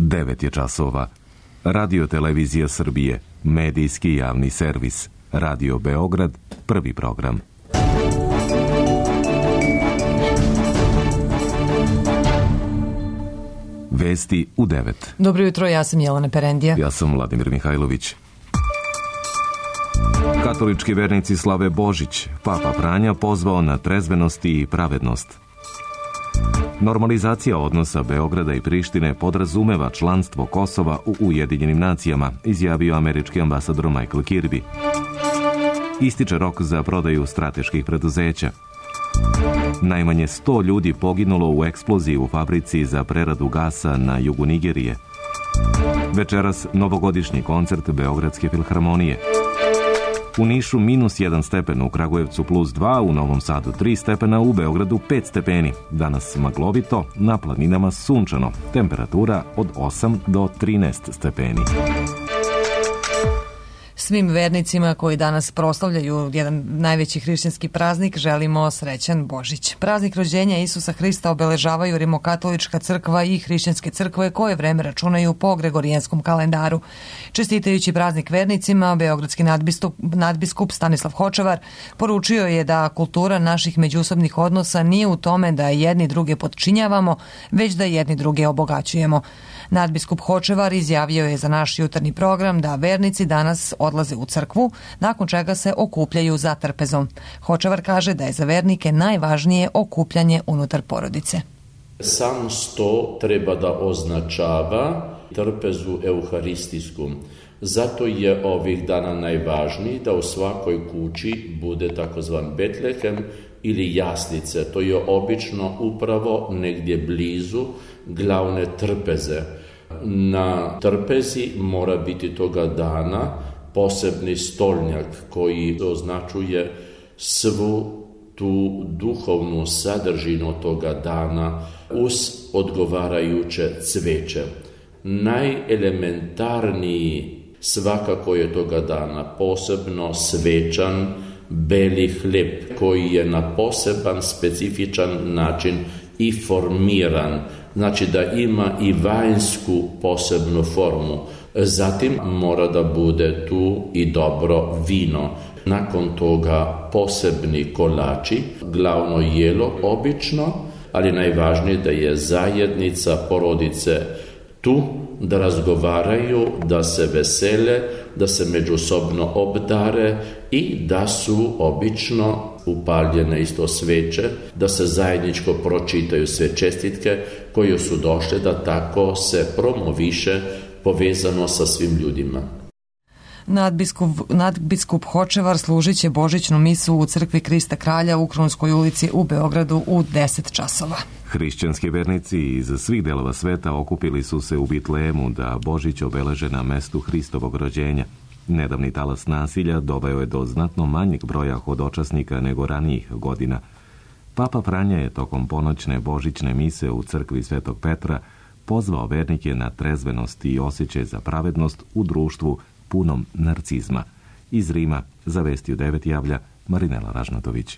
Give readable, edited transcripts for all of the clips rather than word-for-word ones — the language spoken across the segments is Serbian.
9 je časova. Radio Televizija Srbije, medijski javni servis. Radio Beograd, prvi program. Vesti u 9. Dobro jutro, ja sam Jelena Perendija. Ja sam Vladimir Mihajlović. Katolički vernici slave Božić. Papa Franja pozvao na trezvenost i pravednost. Normalizacija odnosa Beograda i Prištine podrazumeva članstvo Kosova u Ujedinjenim nacijama, izjavio američki ambasador Michael Kirby. Ističe rok za prodaju strateških preduzeća. Najmanje 100 ljudi poginulo u eksploziji u fabrici za preradu gasa na jugu Nigerije. Večeras novogodišnji koncert Beogradske filharmonije. U Nišu -1 stepen, u Kragujevcu +2, u Novom Sadu 3 stepena, u Beogradu 5 stepeni. Danas maglovito, na planinama sunčano. Temperatura od 8 do 13 stepeni. Svim vernicima koji danas proslavljaju jedan najveći hrišćanski praznik želimo srećan Božić. Praznik rođenja Isusa Hrista obeležavaju Rimokatolička crkva i hrišćanske crkve koje vreme računaju po gregorijanskom kalendaru. Čestitajući praznik vernicima, beogradski nadbiskup Stanislav Hočevar poručio je da kultura naših međusobnih odnosa nije u tome da jedni druge potčinjavamo, već da jedni druge obogaćujemo. Nadbiskup Hočevar izjavio je za naš jutarnji program da vernici danas odlaze u crkvu, nakon čega se okupljaju za trpezom. Hočevar kaže da je za vernike najvažnije okupljanje unutar porodice. Sam sto treba da označava trpezu euharistijsku. Zato je ovih dana najvažniji da u svakoj kući bude takozvan Betlehem ili jaslice. To je obično upravo negdje blizu glavne trpeze. Na trpezi mora biti toga dana posebni stolnjak koji označuje svu tu duhovnu sadržinu toga dana uz odgovarajuće cveće. Najelementarniji svakako je toga dana posebno svečan beli hljeb koji je na poseban specifičan način i formiran, znači da ima i vanjsku posebnu formu. Zatim mora da bude tu i dobro vino. Nakon toga posebni kolači, glavno jelo obično, ali najvažnije da je zajednica porodice tu, da razgovaraju, da se vesele, da se međusobno obdare i da su obično upaljene isto sveće, da se zajedničko pročitaju sve čestitke koje su došle, da tako se promoviše povezano sa svim ljudima. Nadbiskup Hočevar služit će božićnu misu u crkvi Krista Kralja u Krunskoj ulici u Beogradu u 10 časova. Hrišćanski vernici iz svih delova sveta okupili su se u Bitlejemu da Božić obeleže na mestu Hristovog rođenja. Nedavni talas nasilja doveo je do znatno manjeg broja hodočasnika nego ranijih godina. Papa Franja je tokom ponoćne božićne mise u crkvi Svetog Petra pozvao vernike na trezvenost i osjećaj za pravednost u društvu punom narcizma. Iz Rima za Vesti u 9 javlja Marinela Ražnatović.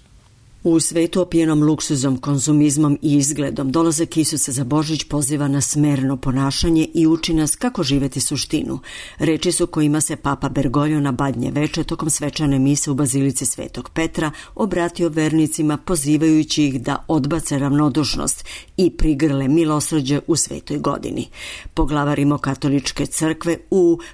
U svetu opijenom luksuzom, konzumizmom i izgledom, dolazak Isusa za Božić poziva na smerno ponašanje i uči nas kako živeti suštinu. Reči su kojima se Papa Bergoglio na Badnje veče tokom svečane mise u Bazilici Svetog Petra obratio vernicima pozivajući ih da odbace ravnodušnost i prigrle milosrđe u svetoj godini. Poglavar Rimokatoličke crkve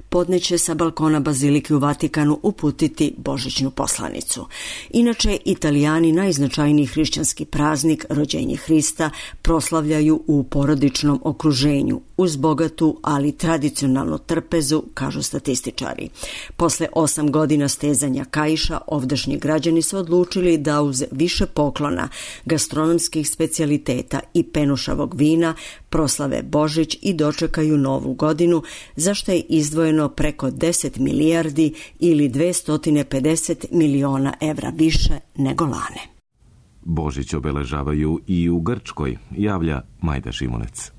podneće sa balkona Bazilike u Vatikanu uputiti božićnu poslanicu. Inače, Italijani najznačajniji hrišćanski praznik, rođenje Hrista, proslavljaju u porodičnom okruženju, uz bogatu, ali tradicionalnu trpezu, kažu statističari. Posle 8 godina stezanja kaiša, ovdašnji građani su odlučili da uz više poklona, gastronomskih specijaliteta i penušavog vina proslave Božić i dočekaju novu godinu, za što je izdvojeno preko 10 milijardi ili 250 miliona evra više nego lane. Božić obeležavaju i u Grčkoj, javlja Majda Šimunec.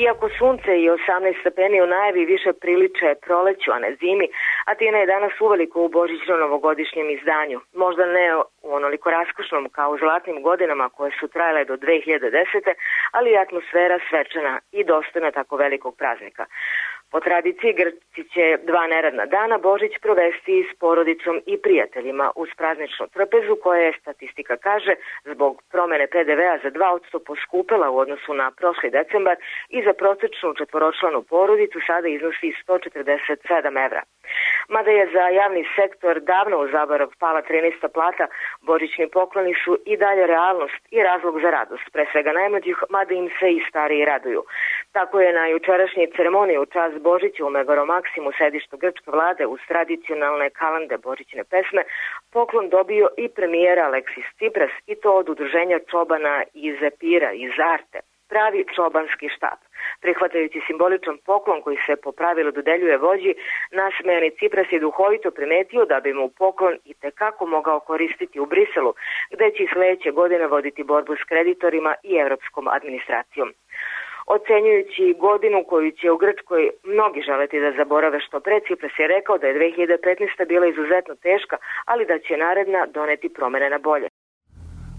Iako sunce i 18 stepeni u najavi više priliče proleću, a ne zimi, Atina je danas uveliko u božićno-novogodišnjem izdanju. Možda ne u onoliko raskošnom kao u zlatnim godinama koje su trajale do 2010. ali je atmosfera svečana i dostojna tako velikog praznika. Po tradiciji Grci će 2 neradna dana Božić provesti s porodicom i prijateljima uz prazničnu trpezu koja je, statistika kaže, zbog promene PDV-a za 2% poskupela u odnosu na prošli decembar i za prosečnu četvoročlanu porodicu sada iznosi 147 evra. Mada je za javni sektor davno u zaborav pala 13. plata, božićni pokloni su i dalje realnost i razlog za radost, pre svega najmlađih, mada im se i stariji raduju. Tako je na jučerašnjoj ceremoniji u čast Božića u Megalomaksimu, sedištu grčke vlade, uz tradicionalne kalande božićne pesme, poklon dobio i premijer Aleksis Tsipras, i to od udruženja čobana iz Epira, iz Arte, pravi čobanski štab. Prihvatajući simboličan poklon koji se po pravilu dodeljuje vođi, nasmejani Tsipras je duhovito primetio da bi mu poklon i tekako mogao koristiti u Briselu, gde će i sledeće godine voditi borbu s kreditorima i evropskom administracijom. Ocenjujući godinu koju će u Grčkoj mnogi želeti da zaborave što pre, Tsipras je rekao da je 2015. bila izuzetno teška, ali da će naredna doneti promene na bolje.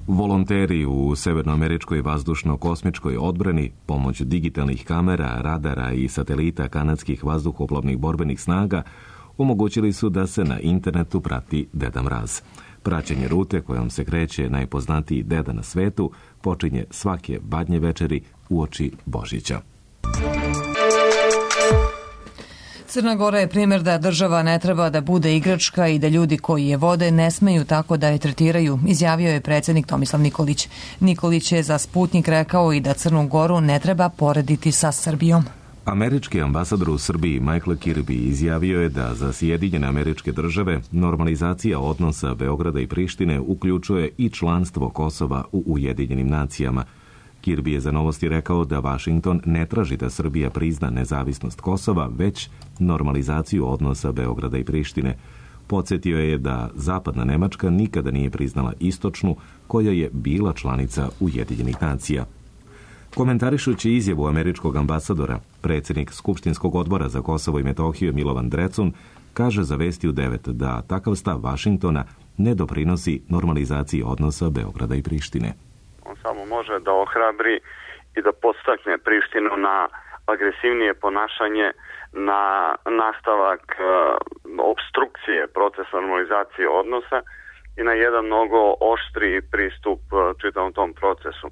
Volonteri u severnoameričkoj vazdušno-kosmičkoj odbrani, pomoć digitalnih kamera, radara i satelita kanadskih vazduhoplovnih borbenih snaga omogućili su da se na internetu prati Deda Mraz. Praćenje rute kojom se kreće najpoznatiji deda na svetu počinje svake badnje večeri uoči Božića. Crna Gora je primjer da država ne treba da bude igračka i da ljudi koji je vode ne smeju tako da je tretiraju, izjavio je predsjednik Tomislav Nikolić. Nikolić je za Sputnik rekao i da Crnu Goru ne treba porediti sa Srbijom. Američki ambasador u Srbiji Michael Kirby izjavio je da za Sjedinjene Američke Države normalizacija odnosa Beograda i Prištine uključuje i članstvo Kosova u Ujedinjenim nacijama. Kirby je za Novosti rekao da Vašington ne traži da Srbija prizna nezavisnost Kosova, već normalizaciju odnosa Beograda i Prištine. Podsjetio je da Zapadna Nemačka nikada nije priznala Istočnu, koja je bila članica Ujedinjenih nacija. Komentarišući izjavu američkog ambasadora, predsjednik Skupštinskog odbora za Kosovo i Metohiju Milovan Drecun kaže za Vesti u 9 da takav stav Vašingtona ne doprinosi normalizaciji odnosa Beograda i Prištine. On samo može da ohrabri i da podstakne Prištinu na agresivnije ponašanje, na nastavak opstrukcije procesa normalizacije odnosa i na jedan mnogo oštriji pristup čitavom tom procesu.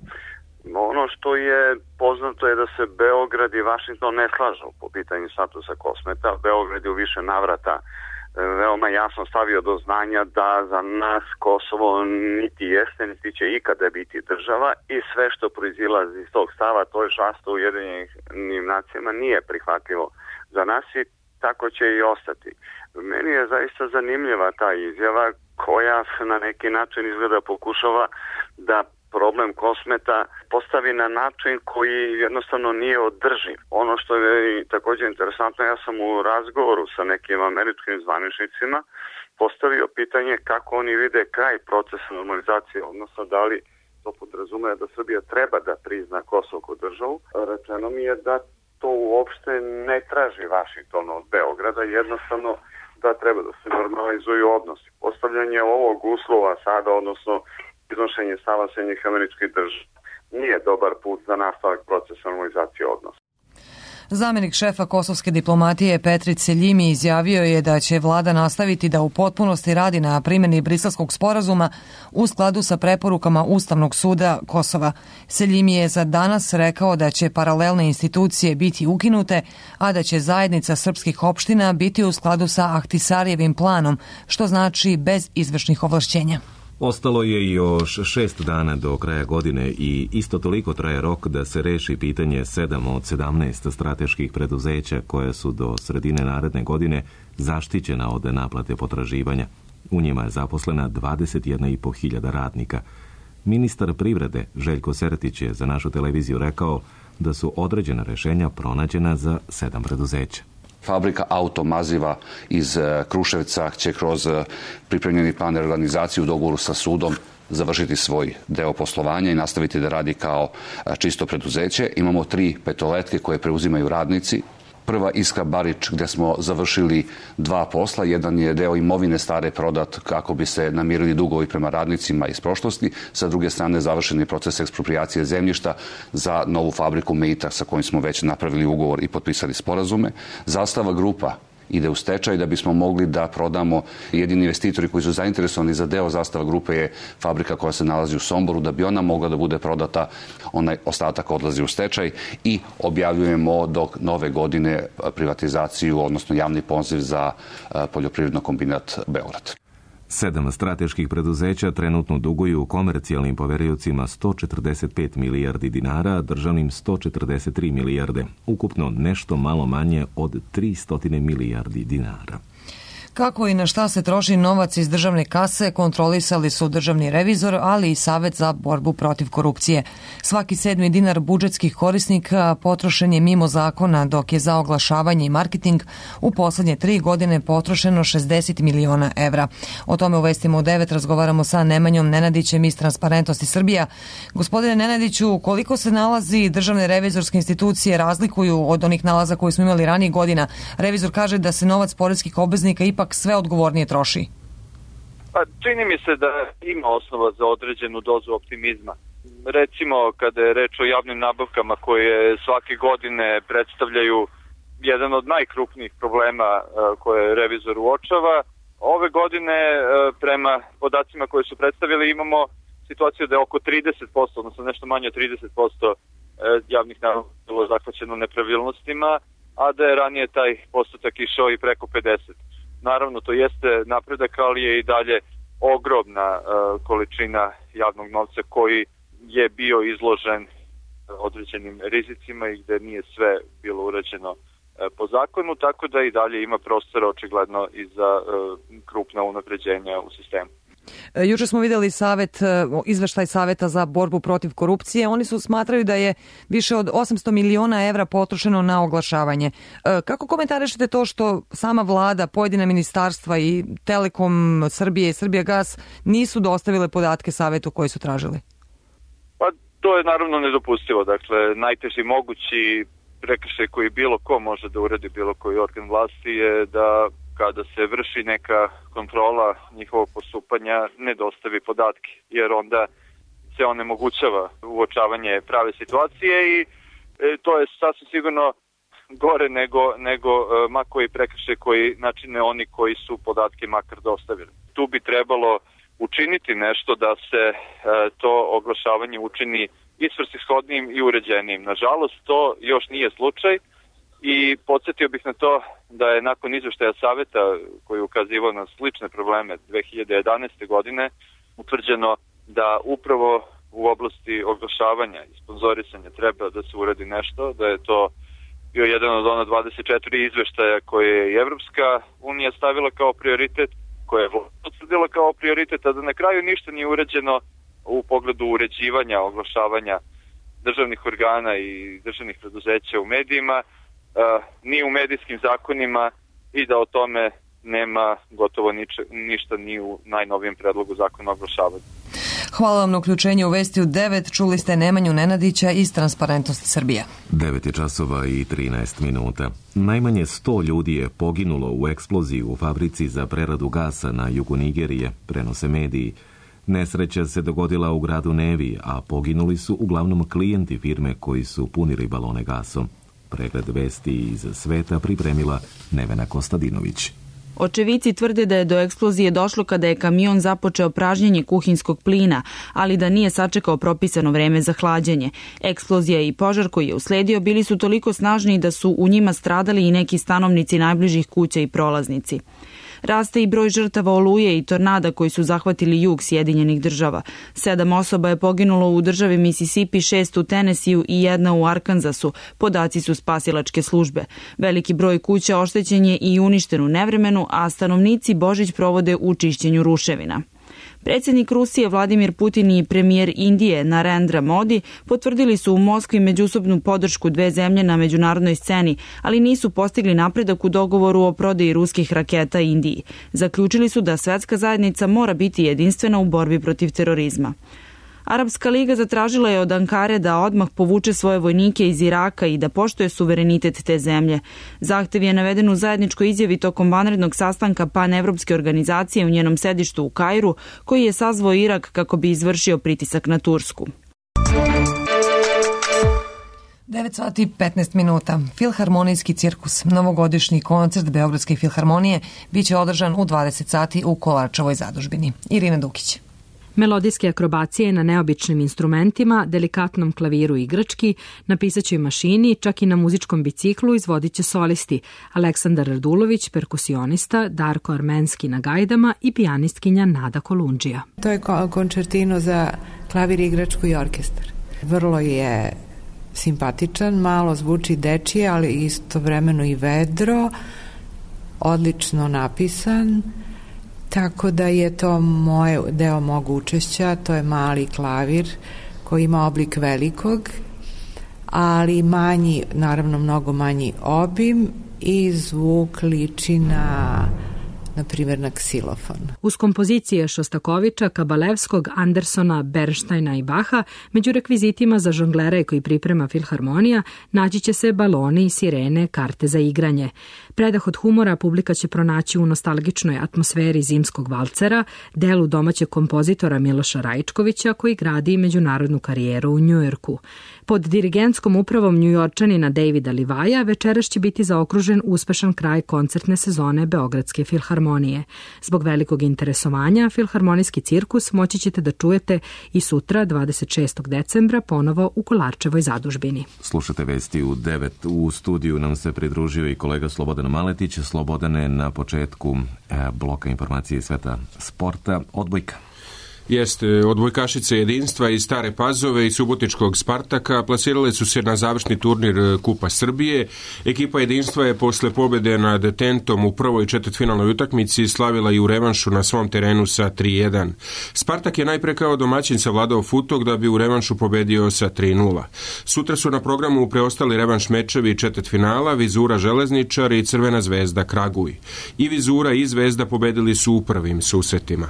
Ono što je poznato je da se Beograd i Vašington ne slažu po pitanju statusa Kosmeta. Beograd je u više navrata veoma jasno stavio do znanja da za nas Kosovo niti jeste, niti će ikada biti država i sve što proizilazi iz tog stava, to je članstvo u Ujedinjenim nacijama, nije prihvatljivo za nas i tako će i ostati. Meni je zaista zanimljiva ta izjava koja na neki način izgleda pokušava da problem Kosmeta postavi na način koji jednostavno nije održiv. Ono što je također interesantno, ja sam u razgovoru sa nekim američkim zvaničnicima postavio pitanje kako oni vide kraj procesa normalizacije, odnosno da li to podrazumeva da Srbija treba da prizna Kosovo kao državu. Rečeno mi je da to uopšte ne traži Vašington od Beograda, jednostavno da treba da se normalizuju odnosi. Postavljanje ovog uslova sada, odnosno iznošenje stava Sjedinjenih Američkih Država, nije dobar put za nastavak procesa normalizacije odnosa. Zamjenik šefa kosovske diplomatije Petrit Seljimi izjavio je da će vlada nastaviti da u potpunosti radi na primjeni Briselskog sporazuma u skladu sa preporukama Ustavnog suda Kosova. Seljimi je za danas rekao da će paralelne institucije biti ukinute, a da će zajednica srpskih opština biti u skladu sa Ahtisarijevim planom, što znači bez izvršnih ovlašćenja. Ostalo je još 6 dana do kraja godine i isto toliko traje rok da se reši pitanje 7 od 17 strateških preduzeća koja su do sredine naredne godine zaštićena od naplate potraživanja. U njima je zaposlena 21.500 radnika. Ministar privrede Željko Sertić je za našu televiziju rekao da su određena rješenja pronađena za 7 preduzeća. Fabrika automaziva iz Kruševca će kroz pripremljeni plan reorganizacije u dogovoru sa sudom završiti svoj deo poslovanja i nastaviti da radi kao čisto preduzeće. Imamo 3 petoletke koje preuzimaju radnici Prva Iskra Barič, gde smo završili 2 posla. Jedan je deo imovine stare prodat kako bi se namirili dugovi prema radnicima iz prošlosti. Sa druge strane završeni proces eksproprijacije zemljišta za novu fabriku Meita sa kojim smo već napravili ugovor i potpisali sporazume. Zastava grupa ide u stečaj da bismo mogli da prodamo. Jedini investitori koji su zainteresovani za deo Zastava grupe je fabrika koja se nalazi u Somboru. Da bi ona mogla da bude prodata, onaj ostatak odlazi u stečaj i objavljujemo do nove godine privatizaciju, odnosno javni poziv za poljoprivredno kombinat Beograd. 7 strateških preduzeća trenutno duguju komercijalnim poveriocima 145 milijardi dinara, državnim 143 milijarde, ukupno nešto malo manje od 300 milijardi dinara. Kako i na šta se troši novac iz državne kase kontrolisali su državni revizor, ali i Savet za borbu protiv korupcije. Svaki 7. dinar budžetskih korisnika potrošen je mimo zakona, dok je za oglašavanje i marketing u poslednje 3 godine potrošeno 60 miliona evra. O tome u Vestima u 9 razgovaramo sa Nemanjom Nenadićem iz Transparentnosti Srbija. Gospodine Nenadiću, koliko se nalazi državne revizorske institucije razlikuju od onih nalaza koje smo imali ranije godina? Revizor kaže da se novac poreskih obveznika ipak sve odgovornije troši. Čini mi se da ima osnova za određenu dozu optimizma. Recimo, kada je reč o javnim nabavkama koje svake godine predstavljaju jedan od najkrupnijih problema koje revizor uočava, ove godine prema podacima koje su predstavili imamo situaciju da je oko 30%, odnosno nešto manje od 30% javnih nabavka bilo zahvaćeno nepravilnostima, a da je ranije taj postotak išao i preko 50%. Naravno, to jeste napredak, ali je i dalje ogromna količina javnog novca koji je bio izložen određenim rizicima i gde nije sve bilo urađeno po zakonu, tako da i dalje ima prostora očigledno i za krupna unapređenja u sistemu. Juče smo videli izveštaj Saveta za borbu protiv korupcije. Oni smatraju da je više od 800 miliona evra potrošeno na oglašavanje. Kako komentarišete to što sama vlada, pojedina ministarstva i Telekom Srbije i Srbijagas nisu dostavile podatke Savetu koji su tražili? Pa to je naravno nedopustivo. Dakle, najteži mogući prekršaj koji bilo ko može da uradi, bilo koji organ vlasti je da kada se vrši neka kontrola njihovog postupanja ne dostavi podatke, jer onda se onemogućava uočavanje prave situacije i to je sasvim sigurno gore nego ma koji prekršaj koji načine oni koji su podatke makar dostavili. Tu bi trebalo učiniti nešto da se to oglašavanje učini i svrsishodnijim i uređenijim. Nažalost, to još nije slučaj. I podsjetio bih na to da je nakon izveštaja Saveta koji je ukazivao na slične probleme 2011. godine utvrđeno da upravo u oblasti oglašavanja i sponzorisanja treba da se uradi nešto, da je to bio jedan od ona 24 izveštaja koje je i Evropska unija stavila kao prioritet, koje je potvrdila kao prioritet, a da na kraju ništa nije urađeno u pogledu uređivanja, oglašavanja državnih organa i državnih preduzeća u medijima, ni u medijskim zakonima i da o tome nema gotovo ništa ni u najnovijem predlogu zakona o oglašavanju. Hvala vam na uključenju u Vesti u 9. Čuli ste Nemanju Nenadića iz Transparentnosti Srbija. 9 časova i 13 minuta. Najmanje 100 ljudi je poginulo u eksploziji u fabrici za preradu gasa na jugu Nigerije, prenose mediji. Nesreća se dogodila u gradu Nevi, a poginuli su uglavnom klijenti firme koji su punili balone gasom. Pregled vesti iz sveta pripremila Nevena Kostadinović. Očevici tvrde da je do eksplozije došlo kada je kamion započeo pražnjenje kuhinskog plina, ali da nije sačekao propisano vreme za hlađenje. Eksplozija i požar koji je usledio bili su toliko snažni da su u njima stradali i neki stanovnici najbližih kuća i prolaznici. Raste i broj žrtava oluje i tornada koji su zahvatili jug Sjedinjenih država. 7 osoba je poginulo u državi Mississippi, 6 u Tennesseeu i 1 u Arkansasu. Podaci su spasilačke službe. Veliki broj kuća oštećen je i uništen u nevremenu, a stanovnici Božić provode u čišćenju ruševina. Predsjednik Rusije Vladimir Putin i premijer Indije Narendra Modi potvrdili su u Moskvi međusobnu podršku dve zemlje na međunarodnoj sceni, ali nisu postigli napredak u dogovoru o prodaji ruskih raketa Indiji. Zaključili su da svetska zajednica mora biti jedinstvena u borbi protiv terorizma. Arapska liga zatražila je od Ankare da odmah povuče svoje vojnike iz Iraka i da poštuje suverenitet te zemlje. Zahtev je naveden u zajedničkoj izjavi tokom vanrednog sastanka panevropske organizacije u njenom sedištu u Kairu, koji je sazvao Irak kako bi izvršio pritisak na Tursku. 9 sati i 15 minuta. Filharmonijski cirkus, novogodišnji koncert Beogradske filharmonije, biće održan u 20 sati u Kolarčevoj zadužbini. Irina Dukić. Melodijske akrobacije na neobičnim instrumentima, delikatnom klaviru i igrački, na pisaćoj mašini, čak i na muzičkom biciklu izvodit će solisti Aleksandar Radulović, perkusionista, Darko Armenski na gajdama i pijanistkinja Nada Kolundžija. To je koncertino za klavir, igračku i orkestar. Vrlo je simpatičan, malo zvuči dečije, ali istovremeno i vedro, odlično napisan, tako da je to deo mog učešća. To je mali klavir koji ima oblik velikog, ali manji, naravno mnogo manji obim i zvuk liči na primjer na ksilofon. Uz kompozicije Šostakovića, Kabalevskog, Andersona, Bernsteina i Baha, među rekvizitima za žonglere koji priprema Filharmonija naći će se baloni, sirene, karte za igranje. Predah od humora publika će pronaći u nostalgičnoj atmosferi zimskog valcera, delu domaćeg kompozitora Miloša Rajčkovića koji gradi međunarodnu karijeru u Njujorku. Pod dirigentskom upravom Njujorčanina Davida Livaja večeras će biti zaokružen uspešan kraj koncertne sezone Beogradske filharmonije. Zbog velikog interesovanja, Filharmonijski cirkus moći ćete da čujete i sutra, 26. decembra, ponovo u Kolarčevoj zadužbini. Slušate vesti u 9. U studiju nam se pridružio i kolega Slobodan Maletić. Slobodane, na početku bloka informacije iz sveta sporta, odbojka. Jeste, odbojkašice Jedinstva iz Stare Pazove i Subotičkog Spartaka plasirale su se na završni turnir Kupa Srbije. Ekipa Jedinstva je posle pobjede nad Tentom u prvoj četvrtfinalnoj utakmici slavila i u revanšu na svom terenu sa 3-1. Spartak je najpre kao domaćin savladao Futog da bi u revanšu pobedio sa 3-0. Sutra su na programu preostali revanš mečevi četvrtfinala, Vizura Železničar i Crvena zvezda Kraguj. I Vizura i Zvezda pobedili su u prvim susretima.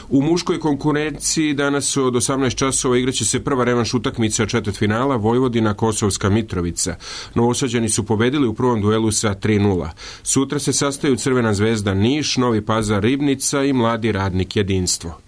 U muškoj konkurenciji danas od 18 časova igraće se prva revanš utakmica četvrtfinala Vojvodina Kosovska Mitrovica. Novosađani su pobedili u prvom duelu sa 3-0. Sutra se sastaju Crvena zvezda Niš, Novi Pazar Ribnica i Mladi radnik Jedinstvo.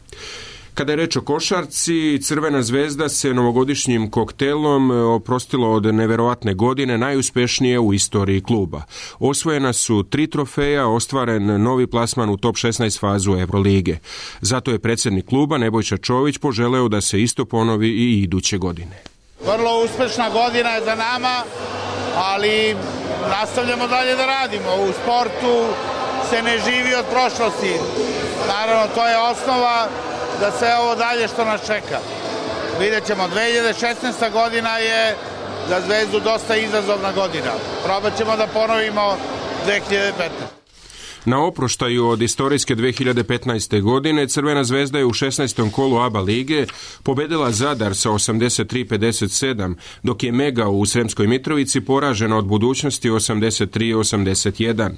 Kada je reč o košarci, Crvena zvezda se novogodišnjim koktelom oprostilo od neverovatne godine, najuspešnije u istoriji kluba. Osvojena su 3 trofeja, ostvaren novi plasman u top 16 fazu Evrolige. Zato je predsjednik kluba Nebojša Čović poželeo da se isto ponovi i iduće godine. Vrlo uspešna godina je za nama, ali nastavljamo dalje da radimo. U sportu se ne živi od prošlosti. Naravno, to je osnova da sve ovo dalje što nas čeka. Vidjet ćemo, 2016. godina je za Zvezdu dosta izazovna godina. Probat ćemo da ponovimo 2015. Na oproštaju od istorijske 2015. godine Crvena zvezda je u 16. kolu ABA lige pobedila Zadar sa 83-57, dok je Mega u Sremskoj Mitrovici poražena od Budućnosti 83-81.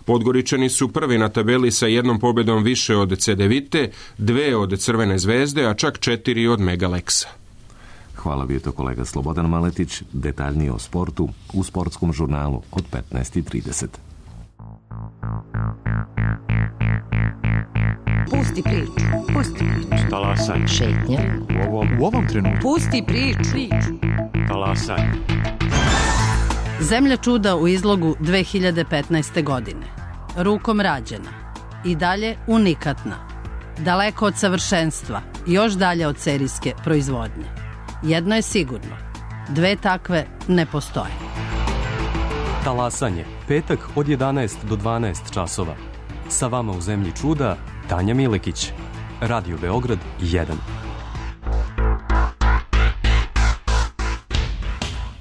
Podgoričani su prvi na tabeli sa jednom pobedom više od Cedevite, 2 od Crvene zvezde, a čak 4 od Megaleksa. Hvala, bio to kolega Slobodan Maletić. Detaljnije o sportu u sportskom žurnalu od 15:30. Pusti priču. Talasaj. Šetnja. U ovom trenutku. Pusti priču. Talasaj. Zemlja čuda u izlogu 2015. godine. Rukom rađena. I dalje unikatna. Daleko od savršenstva. Još dalje od serijske proizvodnje. Jedno je sigurno. 2 takve ne postoje. Talasanje. Petak od 11 do 12 časova. Sa vama u Zemlji čuda Tanja Milekić. Radio Beograd 1.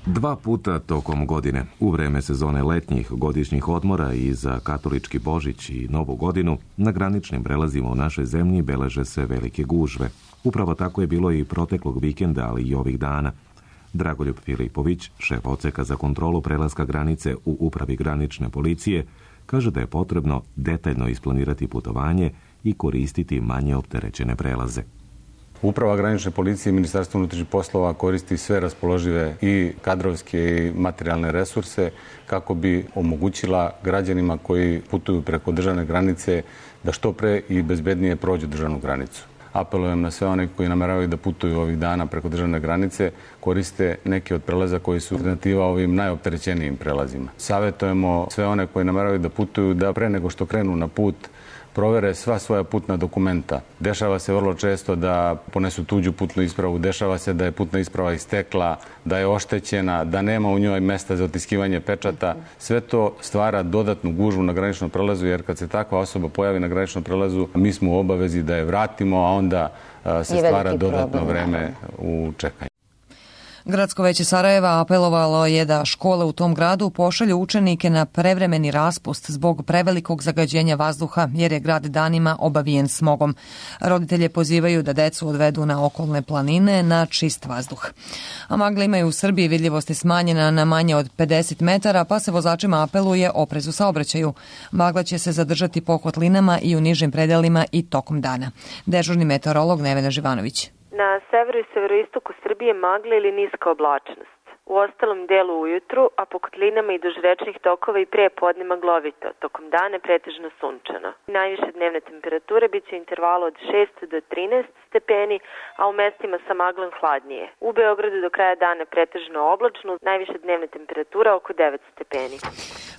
2 puta tokom godine, u vreme sezone letnjih godišnjih odmora i za katolički Božić i Novu godinu, na graničnim prelazima u našoj zemlji beleže se velike gužve. Upravo tako je bilo i proteklog vikenda, ali i ovih dana. Dragoljub Filipović, šef odseka za kontrolu prelaska granice u upravi granične policije, kaže da je potrebno detaljno isplanirati putovanje i koristiti manje opterećene prelaze. Uprava granične policije i Ministarstvo unutrašnjih poslova koristi sve raspoložive i kadrovske i materijalne resurse kako bi omogućila građanima koji putuju preko državne granice da što pre i bezbednije prođu državnu granicu. Apelujem na sve one koji nameravaju da putuju ovih dana preko državne granice, koriste neke od prelaza koji su alternativa ovim najopterećenijim prelazima. Savetujemo sve one koji nameravaju da putuju da pre nego što krenu na put provere sva svoja putna dokumenta. Dešava se vrlo često da ponesu tuđu putnu ispravu, dešava se da je putna isprava istekla, da je oštećena, da nema u njoj mesta za otiskivanje pečata. Sve to stvara dodatnu gužvu na graničnom prelazu, jer kad se takva osoba pojavi na graničnom prelazu, mi smo u obavezi da je vratimo, a onda se stvara dodatno vreme u čekanju. Gradsko veće Sarajeva apelovalo je da škole u tom gradu pošalju učenike na prevremeni raspust zbog prevelikog zagađenja vazduha, jer je grad danima obavijen smogom. Roditelje pozivaju da decu odvedu na okolne planine na čist vazduh. A magle imaju u Srbiji vidljivost je smanjena na manje od 50 metara, pa se vozačima apeluje oprez u saobraćaju. Magla će se zadržati po kotlinama i u nižim predelima i tokom dana. Dežurni meteorolog Nevena Živanović. Na severu i severoistoku Srbije magla ili niska oblačnost. U ostalom delu ujutru, a po kotlinama i duž rečnih tokova i pre podne maglovito, tokom dana pretežno sunčano. Najviše dnevne temperature biće u intervalu od 6 do 13 stepeni, a u mestima sa maglom hladnije. U Beogradu do kraja dana pretežno oblačno, najviše dnevne temperatura oko 9 stepeni.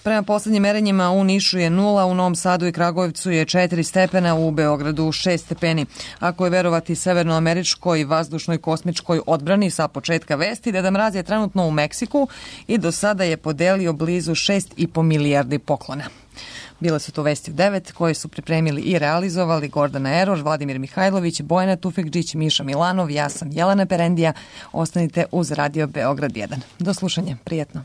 Prema poslednjim merenjima u Nišu je 0, u Novom Sadu i Kragujevcu je 4 stepena, u Beogradu 6 stepeni. Ako je verovati severnoameričkoj vazdušnoj kosmičkoj odbrani sa početka vesti, Deda Mraz je trenutno u Meksiku i do sada je podelio blizu 6,5 milijardi poklona. Bile su to vesti u 9 koje su pripremili i realizovali Gordana Eror, Vladimir Mihajlović, Bojana Tufekđić, Miša Milanov, ja sam Jelena Perendija. Ostanite uz Radio Beograd 1. Do slušanja, prijetno.